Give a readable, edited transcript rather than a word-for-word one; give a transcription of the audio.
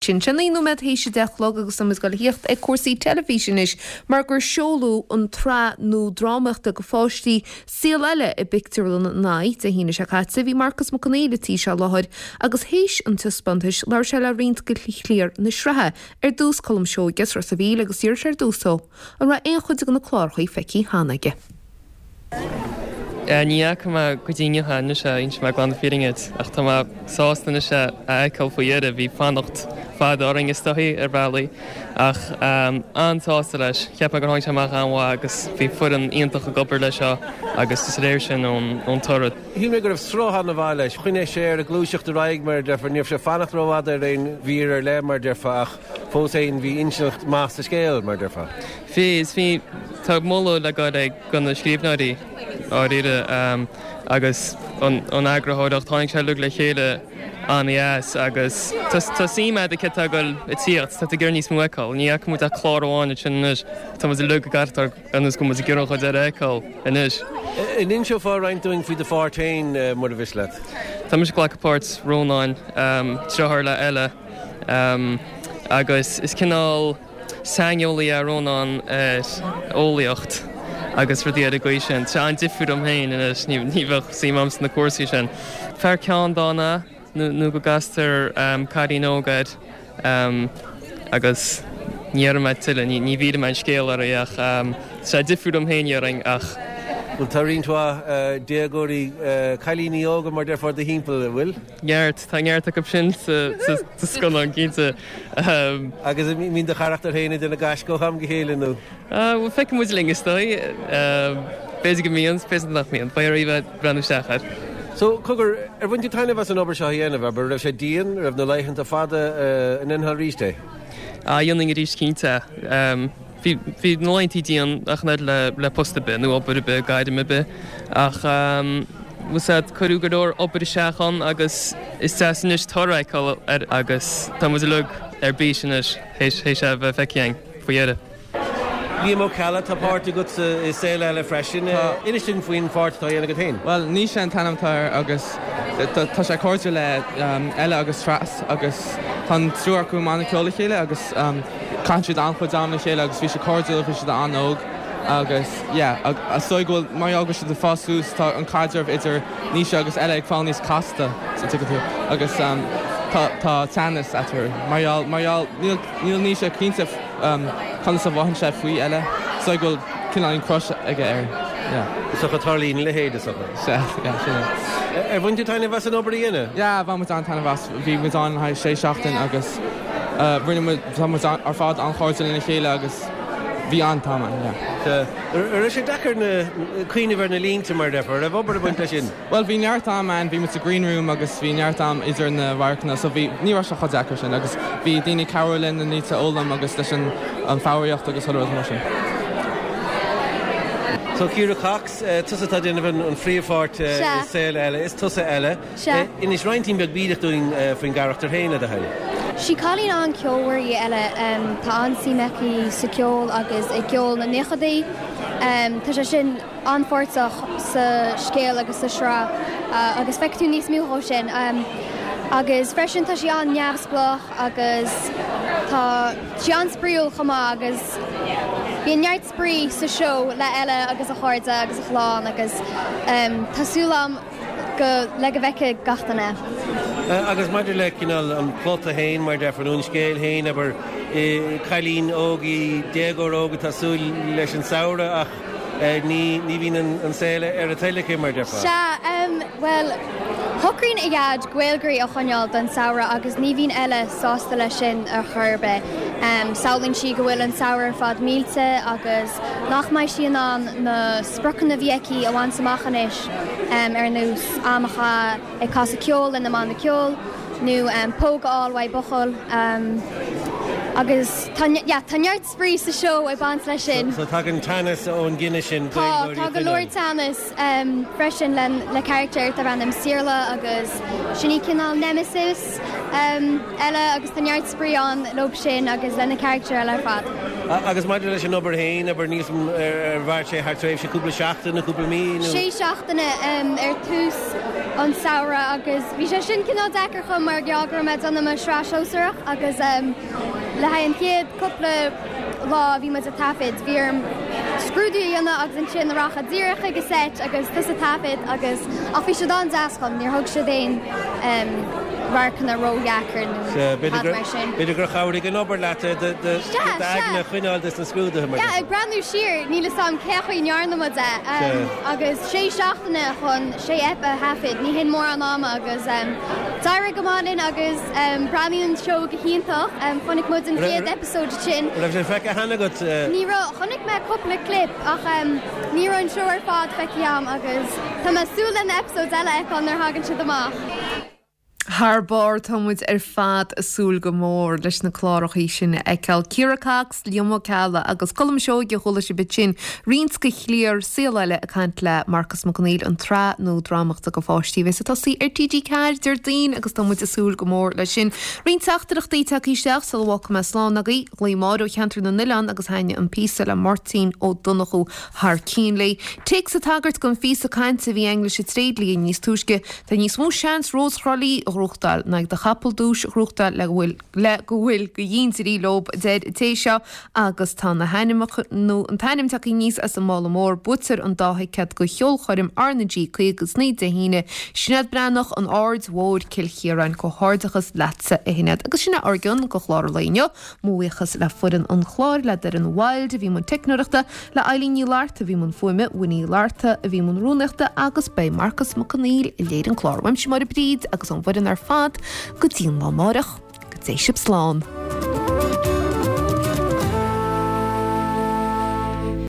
Sin sé 9 nóiméad théis 10 a chlog agus tá muid ag dul a thíocht ag cúrsaí teilifíse anois mar gur seoladh an tsraith nua drámaíochta do pháistí, Saol Ella i bPictiúrlann an EYE Dé hAoine seo caite. Bhí Marcus Mac Conghail an tí seo i láthair agus théis an taispeántais labhair sé le roinnt de chliar na sraithe, ar dtús Colm Seoige as Ros a' Mhíl agus d'iarr sé ar dtús dó an raibh aon chuid de na cláracha feicthe cheana aige. Ní fhaca mé go dtí inniu é anois, inseoidh mé glan na fírinne duit, ach tá mé sásta anois é a fheiceáil faoi dheireadh. Bhí fanacht fada orainn is dóichí ar bhealaí ach an-sásta leis. Cheap mé gur tháinig sé amach an-mhaith agus bhí foireann iontach ag obair leis seo agus is léir sin ón toradh. Shíl mé go raibh sruth an-mhaith leis. Choinnigh sé air ag gluaiseacht ar aghaidh mar a déarfá. Ní raibh sé ag fanacht rófhada ar aon mhír ar leith mar a déarfá ach fós féin bhí inseacht maith sa scéal mar a déarfá. Bhí, is bhí, tá moladh le gabháil ag do na scríbhneoirí, dháiríre, agus an eagarthóireacht, tháinig sé uilig le chéile an-dheas agus tá suim a'd céard atá ag dul a tíocht, tá tú ag iarraidh níos mó a fheiceáil, ní fhaca muid ach clár amháin ansin anois, tá muid uilig ag amharc ar nós go bhfuil muid ag iarraidh an chuid eile a fheiceáil anois. An inseofá roinnt dúinn faoi do pháirt féin, mura mhiste leat? Tá mise ag glacadh páirt Rónáin, deartháir le Ella, agus is cineál. Saineolaí é Rónán ar eolaíocht agus rudaí ar an gcaoi sin. Tá sé an-difriúil dom féin anois, ní bheadh suim agam sna cúrsaí sin. Fear ceanndána é nó go gcastar cailín óg air agus ní déarfaidh mé tuilleadh, ní mhillfidh mé an scéal oraibh ach tá sé difriúil dom féin déarfainn ach. Bhuel tá roinnt mhaith déagóirí, cailíní óga mar déarfá i do thimpeall, an bhfuil? Neart, tá neart acu sin sa scannán, cinnte. Agus an mbíonn do charachtar féin ag déanamh gaisce ó am go chéile, nó? Bhuel, feicfidh muid linn, is dóigh. B'fhéidir go mbíonn, b'fhéidir nach mbíonn. Beidh oraibh a bheith ag breathnú isteach air. So, cogar, ar bhain tú taitneamh as an obair seo a dhéanamh, abair? Raibh sé dian? Raibh na laethanta fada? An ndéanfá arís é? Ah, dhéanfainn arís, cinnte. Bhí, bhí na laethanta dian ach an oiread le, le post ar bith, nó obair ar bith, gairm ar bith. Ach, bhfuil 's a'd, cuireadh go leor obair isteach ann agus is deas anois toradh a fheiceáil air agus tá muid uilig ar bís anois théis, théis é a bheith feicthe againn faoi dheireadh. Liam Ó Ceallaigh, tá páirt agat i Saol Ella freisin. Inis dúinn faoin pháirt atá á dhéanamh agat féin. Bhuel, Naoise an t-ainm atá air agus tá sé cairdiúil le Ella agus Treas agus tá an triúr acu i mbanna ceoil le chéile agus caitheann siad an-chuid am le chéile agus bhí siad cairdiúil, bhí siad an-óg agus yeah is dóigh go bhfuil, mar gheall go bhfuil siad ag fás suas tá an caidreamh idir Naoise agus Ella ag fáil níos casta, an dtuigeann tú, agus tá tá teannas eatarthu mar gheall, mar gheall níl, níl Naoise cinnte conas a mhothaíonn sé faoi Ella, is dóigh go bhfuil cineáilín crush aige air, yeah. Is dócha tarlaíonn a leithéid, is dócha. Sea, yeah, sin é. Ar bhain tú taitneamh as an obair a dhéanamh? Yeah, bhain muid an-taitneamh as. Bhí muid ann le haghaidh sé seachtain agus rinne muid, tá muid ar fad an-chairdiúil lena chéile agus bhí an-am ann, yeah. Sea. An raibh sé deacair na, cuimhneamh ar na línte mar a déarfá? An raibh obair ag baint leis sin? Bhuel, bhí neart am ann, bhí muid sa green room agus bhí neart am idir na radharcanna so bhí, ní raibh sé chomh deacair sin agus bhí daoine ag cabhrú linn na línte a fhoghlaim agus leis an an foghraíocht agus chuile rud mar sin. So Ciara Cox, tusa atá ag déanamh an phríomhpháirt i Saol Ella, is tusa Ella. Sea. Inis roinntín beag bídeach dúinn faoin gcarachtar féin, le do thoil. Sí cailín an-cheolmhar í Ella. Tá an-suim aici sa cheol agus i gceol na naochadaí. Tá sé sin. an-pháirteach sa scéal agus sa sraith agus feicfidh tú níos mó dhó sin. Agus freisin tá sí an-neamhspleách agus tá sí an-spraíúil chomh maith agus bíonn neart spraoi sa seó le Ella agus a chairde agus a chlann agus tá súil agam go le go bhfeicfidh gach duine. Agus maidir le cineál an plota féin, mar a déarfá, nó an scéal féin, abair, cailín óg í, déagóir óg atá ag súil leis an samhradh ach Ní bhíonn an saol ar a toil aici, mar a déarfá. Sea, bhuel, shocraíonn a dhaid GaelGáirí a choinneáil don samhradh agus ní bhíonn Ella sásta leis sin ar chor ar bith. Samhlaíonn sí go bhfuil an samhradh ar fad millte agus nach mbeidh sí in ann na spriocanna a bhí aici a bhaint amach anois, ar nós am a chaitheamh ag casadh ceoil lena mbanna ceoil nó póg a fháil uaidh buachaill. Agus tá, yeah, tá neart. spraoi sa seó ag baint leis sin. So tagann teannas ón gcinneadh sin Tá, tá go leor teannas freisin le le carachtar darb ainm Saorla agus sin í cineál nemesis Ella agus tá neart spraoi ann leo sin agus le na carachtair eile ar fad. Agus maidir leis an obair féin, abair, níl 's a'm ar mhair sé thar tréimhse cúpla seachtain nó cúpla mí nó? Sé seachtaine ar tús. an samhradh agus bhí sé sin cineál deacair dhom mar gheall go raibh mé ag déanamh mo sraith shóisearach agus le haghaidh an chéad cúpla lá a bhí muid ag taifead bhí orm scrúdú a dhéanamh agus ansin rachadh díreach chuig an seit agus tosú ag taifead agus ach bhí siad an-deas dhom, níor thug siad aon radharcanna ródheacair nó tada mar sin. B'fhéidir gur chabhraigh an obair leat d'aigne a choinneáil des na scrúduithe mar. Yeah, ag breathnú siar, níl 'fhios a'm cé chaoi a ndearna muid é agus sé seachtaine chun sé ep a thaifead, ní hin mórán ama agus d'éirigh go maith linn agus breathnaíonn an seó go hiontach. Chonaic muid an chéad episode sin. Raibh sé feicthe cheana agat? Ní raibh, chonaic mé cúpla clip ach ní raibh an seó ar fad feicthe a'm agus tá mé ag súil le na episodes eile a fheiceáil nuair a thagann siad amach. Thar barr, tá muid ar fad ag súil go mór leis na clárachaí sin a fheiceáil. Ciara Cox, Liam Ó Ceallaigh agus Colm Seoige a chuala sibh ansin, roinnt de chliar Saol Ella ag caint le Marcus Mac Conghail, an tsraith nua drámaíochta do pháistí a bheas ag tosaí ar TG4 Déardaoin agus tá muid ag súil go mór leis sin. Roinnt teachtaireachtaí tagtha isteach sula bhfágfaidh mé slán agaibh. Ghlaoigh Máire ó Cheantar na nOileán agus thaitnigh an píosa le Máirtín Ó Donnchú thar cionn léi. Téacs ag tagairt don phíosa cainte a bhí againn leis an tréidlia níos túisce. Tá níos mó seans Rós Thrá Lí a ghnóthachtáil ná ag do chapall duais a ghnóthachtáil le go bhfuil le go bhfuil go dhíndeirí leob, a deir an té seo agus tá na hainmneacha nó an t-ainm tagtha aníos as an mála mór. Buaitear an dá thicéad go cheolchoirm R na G 59 Dé hAoine. Sinéad Breathnach, An Aird Mhóir, Cill Chiaráin. Comhghairdeachas leatsa a Shinéad. Agus sin é ár gcion go chlár an lae inniu. Mo bhuíochas le foireann an chláir, le Doireann Wilde a bhí i mbun teicneoireachta, le Eileen Ní Fhlatharta a bhí i mbun fuaime, Winnie Uí Fhlatharta a bhí i mbun rúnaíochta agus beidh Marcus Mac Conghail a léirigh an clár. Uaimse Máire Bríd agus ón bhfoireann ar fad go dtí an lá amáireach, go dté sibh slán.